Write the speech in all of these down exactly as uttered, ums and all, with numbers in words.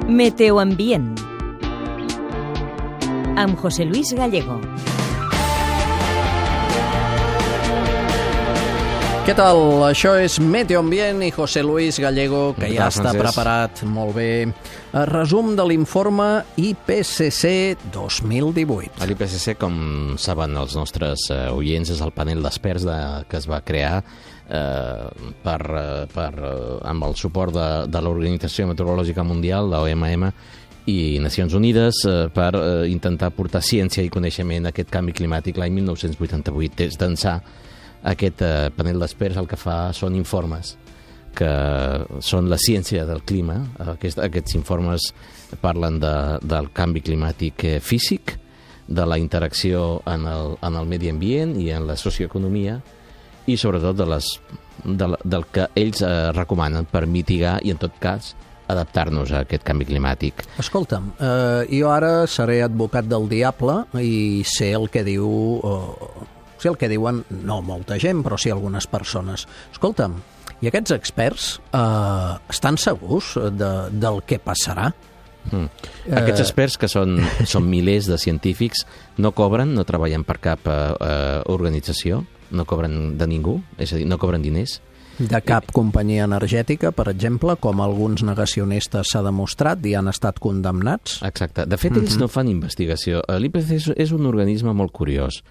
Meteoambient amb José Luis Gallego. Què tal? Això és Meteoambient i José Luis Gallego, que ja està preparat molt bé. El resum de l'informe I P C C dos mil divuit. L'I P C C, com saben els nostres eh, oients, és el panel d'experts de, que es va crear eh, per, per, amb el suport de, de l'Organització Meteorològica Mundial, la O M M, i Nacions Unides, eh, per eh, intentar portar ciència i coneixement a aquest canvi climàtic. L'any mil nou-cents vuitanta-vuit, des d'ençà, aquest eh, panel d'experts el que fa són informes que són la ciència del clima. Aquest, aquests informes parlen de, del canvi climàtic eh, físic, de la interacció en el, en el medi ambient i en la socioeconomia, i sobretot de les, de, del que ells eh, recomanen per mitigar i, en tot cas, adaptar-nos a aquest canvi climàtic. Escolta'm, eh, jo ara seré advocat del diable i sé el que diu... Eh, sé el que diuen, no molta gent, però sí algunes persones. Escolta'm, i aquests experts eh, estan segurs de, del que passarà? Mm. Eh... Aquests experts, que són, són milers de científics, no cobren, no treballen per cap eh, organització, no cobren de ningú, és a dir, no cobren diners. De cap companyia energètica, per exemple, com alguns negacionistes s'ha demostrat i han estat condemnats? Exacte. De fet, ells mm-hmm. no fan investigació. L'I P C C és, és un organisme molt curiós.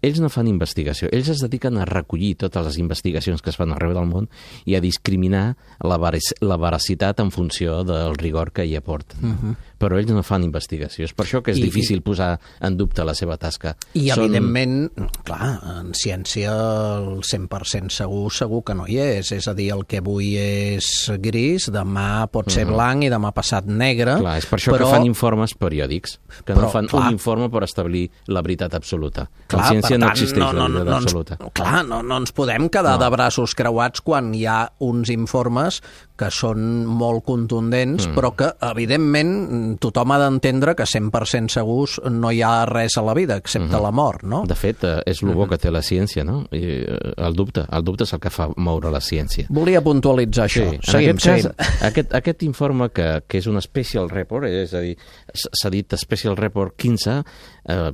Ells no fan investigació, ells es dediquen a recollir totes les investigacions que es fan arreu del món i a discriminar la, ver- la veracitat en funció del rigor que hi aporten. Uh-huh. Però ells no fan investigació, és per això que és I, difícil posar en dubte la seva tasca. I Són... evidentment, clar, en ciència el cent per cent segur, segur que no hi és, és a dir, el que avui és gris, demà pot ser uh-huh. blanc i demà passat negre. Clar, és per això però... que fan informes periòdics, que però, no fan clar... un informe per establir la veritat absoluta. Clar, en ciència no existeix no, no, la veritat no, absoluta. No, clar, no, no ens podem quedar no. de braços creuats quan hi ha uns informes que són molt contundents, mm. però que, evidentment, tothom ha d'entendre que cent per cent segurs no hi ha res a la vida, excepte mm-hmm. la mort, no? De fet, és el bo mm-hmm. que té la ciència, no? I el dubte, el dubte és el que fa moure la ciència. Volia puntualitzar això. Sí. Seguim, en aquest cas, aquest, aquest informe, que, que és un special report, és a dir, s'ha dit special report quinze, eh,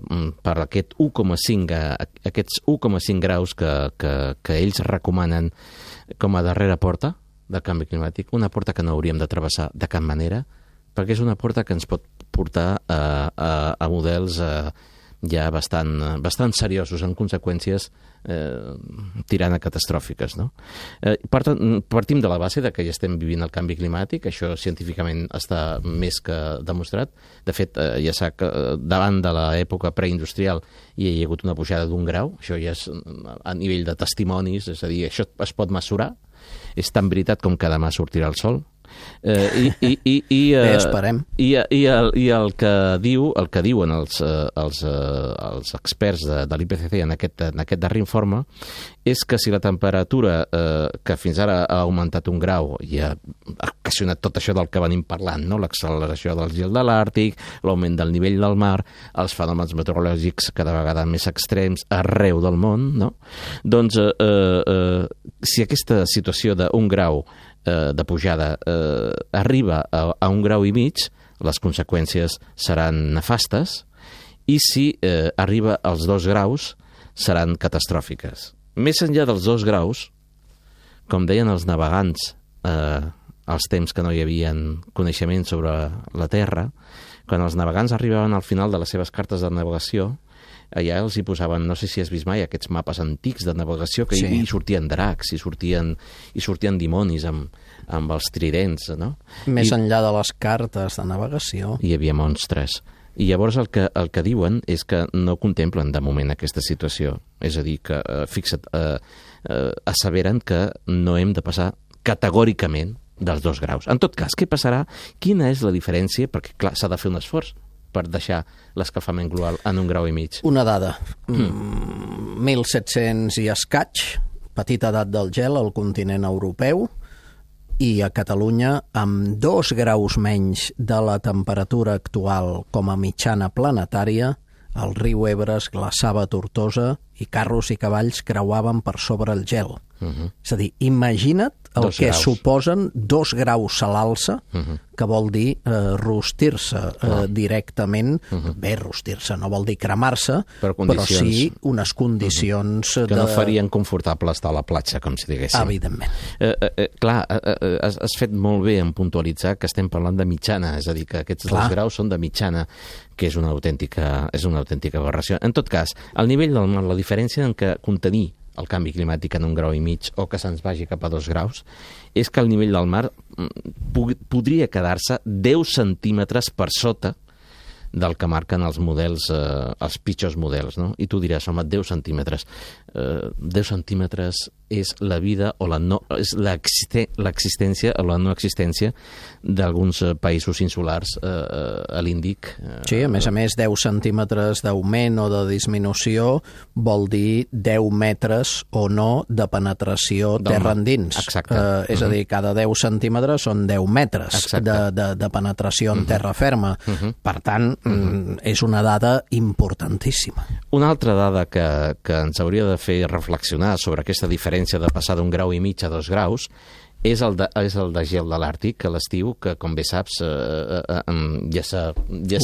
per aquest u coma cinc, aquests u coma cinc graus que, que, que ells recomanen com a darrera porta del canvi climàtic, una porta que no hauríem de travessar de cap manera, perquè és una porta que ens pot portar a, a, a models eh, ja bastant, bastant seriosos, en conseqüències eh, tirant a catastròfiques, no? Eh, partim de la base de que ja estem vivint el canvi climàtic, això científicament està més que demostrat. De fet, eh, ja sap que davant de l'època preindustrial hi ha hagut una pujada d'un grau, això ja és a nivell de testimonis, és a dir, això es pot mesurar, és tan veritat com que demà sortirà el sol. Eh, i, i, i, i, eh, Bé, esperem. I, i, el, i el que diu, el que diuen els, eh, els, eh, els experts de, de l'I P C C en aquest, en aquest darrer informe és que si la temperatura eh, que fins ara ha augmentat un grau i ha ocasionat tot això del que venim parlant, no? L'acceleració del gel de l'Àrtic, l'augment del nivell del mar, els fenòmens meteorològics cada vegada més extrems arreu del món, no? Doncs eh, eh, si aquesta situació d'un grau de pujada eh, arriba a, a un grau i mig, les conseqüències seran nefastes, i si eh, arriba als dos graus seran catastròfiques. Més enllà dels dos graus, com deien els navegants eh, als temps que no hi havia coneixement sobre la Terra, quan els navegants arribaven al final de les seves cartes de navegació, allà els hi posaven, no sé si has vist mai, aquests mapes antics de navegació, que sí. hi sortien dracs, hi sortien, hi sortien dimonis amb, amb els tridents, no? Més I, enllà de les cartes de navegació. Hi havia monstres. I llavors el que, el que diuen és que no contemplen de moment aquesta situació. És a dir, que, eh, fixa't, eh, eh, asseveren que no hem de passar categòricament dels dos graus. En tot cas, què passarà? Quina és la diferència? Perquè, clar, s'ha de fer un esforç per deixar l'escalfament global en un grau i mig. Una dada. Mm. mil set-cents i escaig, petita edat del gel al continent europeu, i a Catalunya, amb dos graus menys de la temperatura actual com a mitjana planetària, el riu Ebre es glaçava a Tortosa i carros i cavalls creuaven per sobre el gel. Uh -huh. És a dir, imagina't el Dos que graus. suposen dos graus a l'alça, Uh -huh. que vol dir eh, rostir-se eh, Uh. directament. Uh -huh. Bé, rostir-se no vol dir cremar-se, però, però sí unes condicions... Uh -huh. que no de... farien confortable estar a la platja, com si diguéssim. Evidentment. Eh, eh, eh, clar, eh, eh, has, has fet molt bé en puntualitzar que estem parlant de mitjana, és a dir, que aquests Clar. dos graus són de mitjana, que és una autèntica, és una autèntica aberració. En tot cas, al nivell del mar, la diferència en què contenir el canvi climàtic en un grau i mig o que se'ns vagi cap a dos graus és que el nivell del mar podria quedar-se deu centímetres per sota del que marquen els models, eh, els pitjors models, no? I tu diràs, home, deu centímetres. Eh, deu centímetres és la vida o la no, és l'existència o la no existència d'alguns països insulars eh, a l'Índic. Eh, Sí, a més a més, deu centímetres d'augment o de disminució vol dir deu metres o no de penetració Del terra mar. endins. Exacte. Eh, és Uh-huh. a dir, cada deu centímetres són deu metres Exacte. de, de, de penetració en Uh-huh. terra ferma. Uh-huh. Per tant, uh-huh. és una dada importantíssima. Una altra dada que, que ens hauria de fer reflexionar sobre aquesta diferència de passar d'un grau i mig a dos graus és el de, és el de gel de l'Àrtic a l'estiu, que, com bé saps, eh, eh, eh, ja s'ha... Ja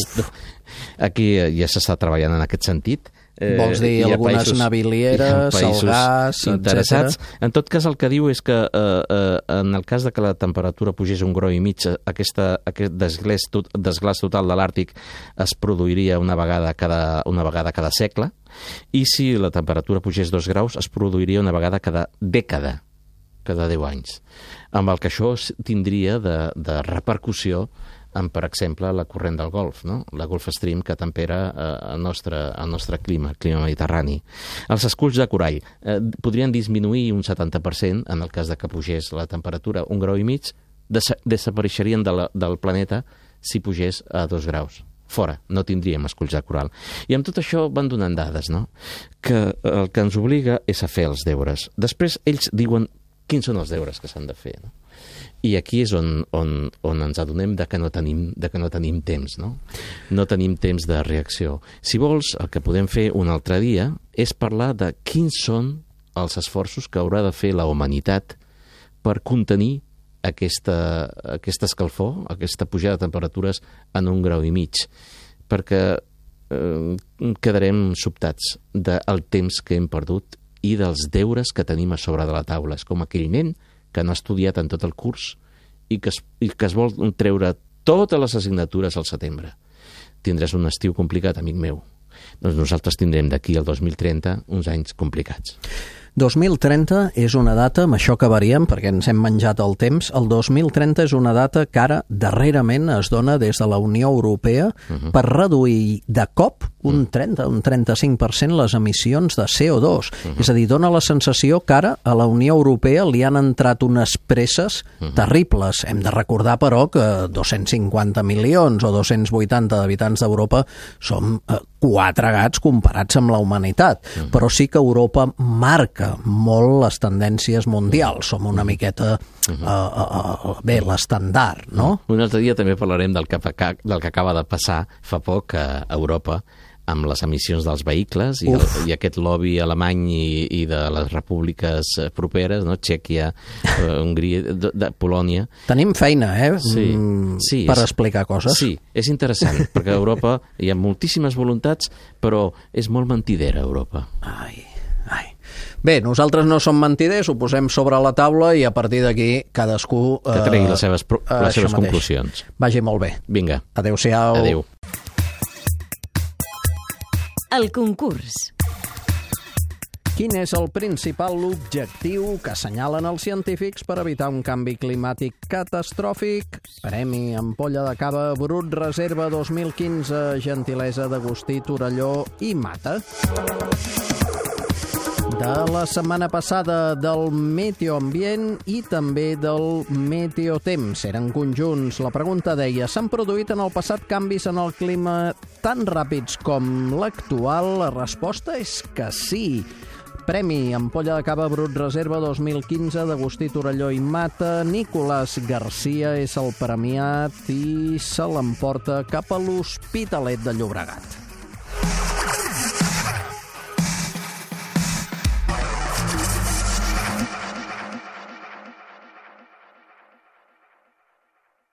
aquí ja s'està treballant en aquest sentit. Eh, Vols dir algunes navilieres, el gas, interessats. etcètera? En tot cas, el que diu és que eh, eh, en el cas de que la temperatura pugés un grau i mig, aquesta, aquest desglàs, tot, desglàs total de l'Àrtic es produiria una vegada cada, una vegada cada segle, i si la temperatura pugés dos graus es produiria una vegada cada dècada, cada deu anys. Amb el que això tindria de, de repercussió en, per exemple, la corrent del Golf, no? La Gulf Stream, que tempera eh, el, nostre, el nostre clima, el clima mediterrani. Els esculls de corall eh, podrien disminuir un setanta per cent en el cas de que pugés la temperatura un grau i mig, des desapareixerien de la, del planeta si pugés a dos graus. Fora, no tindríem esculls de coral. I amb tot això van donant dades, no? Que el que ens obliga és a fer els deures. Després ells diuen quins són els deures que s'han de fer, no? I aquí és on, on, on ens adonem de que no tenim, de que no tenim temps, no? No tenim temps de reacció. Si vols, el que podem fer un altre dia és parlar de quins són els esforços que haurà de fer la humanitat per contenir aquesta, aquesta escalfor, aquesta pujada de temperatures en un grau i mig, perquè eh, quedarem sobtats del temps que hem perdut i dels deures que tenim a sobre de la taula. És com aquell nen que no ha estudiat en tot el curs i que es, i que es vol treure totes les assignatures al setembre. Tindràs un estiu complicat, amic meu. Doncs nosaltres tindrem d'aquí al dos mil trenta uns anys complicats. dos mil trenta és una data, amb això acabaríem perquè ens hem menjat el temps, el dos mil trenta és una data que ara darrerament es dona des de la Unió Europea uh-huh. per reduir de cop un trenta, un trenta-cinc per cent les emissions de C O dos. Uh-huh. És a dir, dona la sensació que ara a la Unió Europea li han entrat unes presses uh-huh. terribles. Hem de recordar, però, que dos-cents cinquanta milions o dos-cents vuitanta d'habitants d'Europa som eh, quatre gats comparats amb la humanitat. Uh-huh. Però sí que Europa marca molt les tendències mundials. Som una miqueta, uh, uh, uh, bé, l'estandard, no? Un altre dia també parlarem del que, del que acaba de passar fa poc a Europa amb les emissions dels vehicles i, el, i aquest lobby alemany i, i de les repúbliques properes, no? Txèquia, uh, Hongria, de, de Polònia. Tenim feina, eh? Sí, sí, per és, explicar coses. Sí, és interessant, perquè a Europa hi ha moltíssimes voluntats, però és molt mentidera, Europa. Ai, ai. Bé, nosaltres no som mentiders, ho posem sobre la taula i a partir d'aquí cadascú... Que tregui les seves, eh, les seves conclusions. Vagi molt bé. Vinga. Adéu-siau. Adéu. El concurs. Quin és el principal objectiu que assenyalen els científics per evitar un canvi climàtic catastròfic? Premi Ampolla de Cava Brut Reserva dos mil quinze, gentilesa d'Agustí Torelló i Mata. De la setmana passada del meteoambient i també del meteotemps. Eren conjunts. La pregunta deia: s'han produït en el passat canvis en el clima tan ràpids com l'actual? La resposta és que sí. Premi Ampolla de Cava Brut Reserva dos mil quinze d'Agustí Torelló i Mata. Nicolás García és el premiat i se l'emporta cap a l'Hospitalet de Llobregat.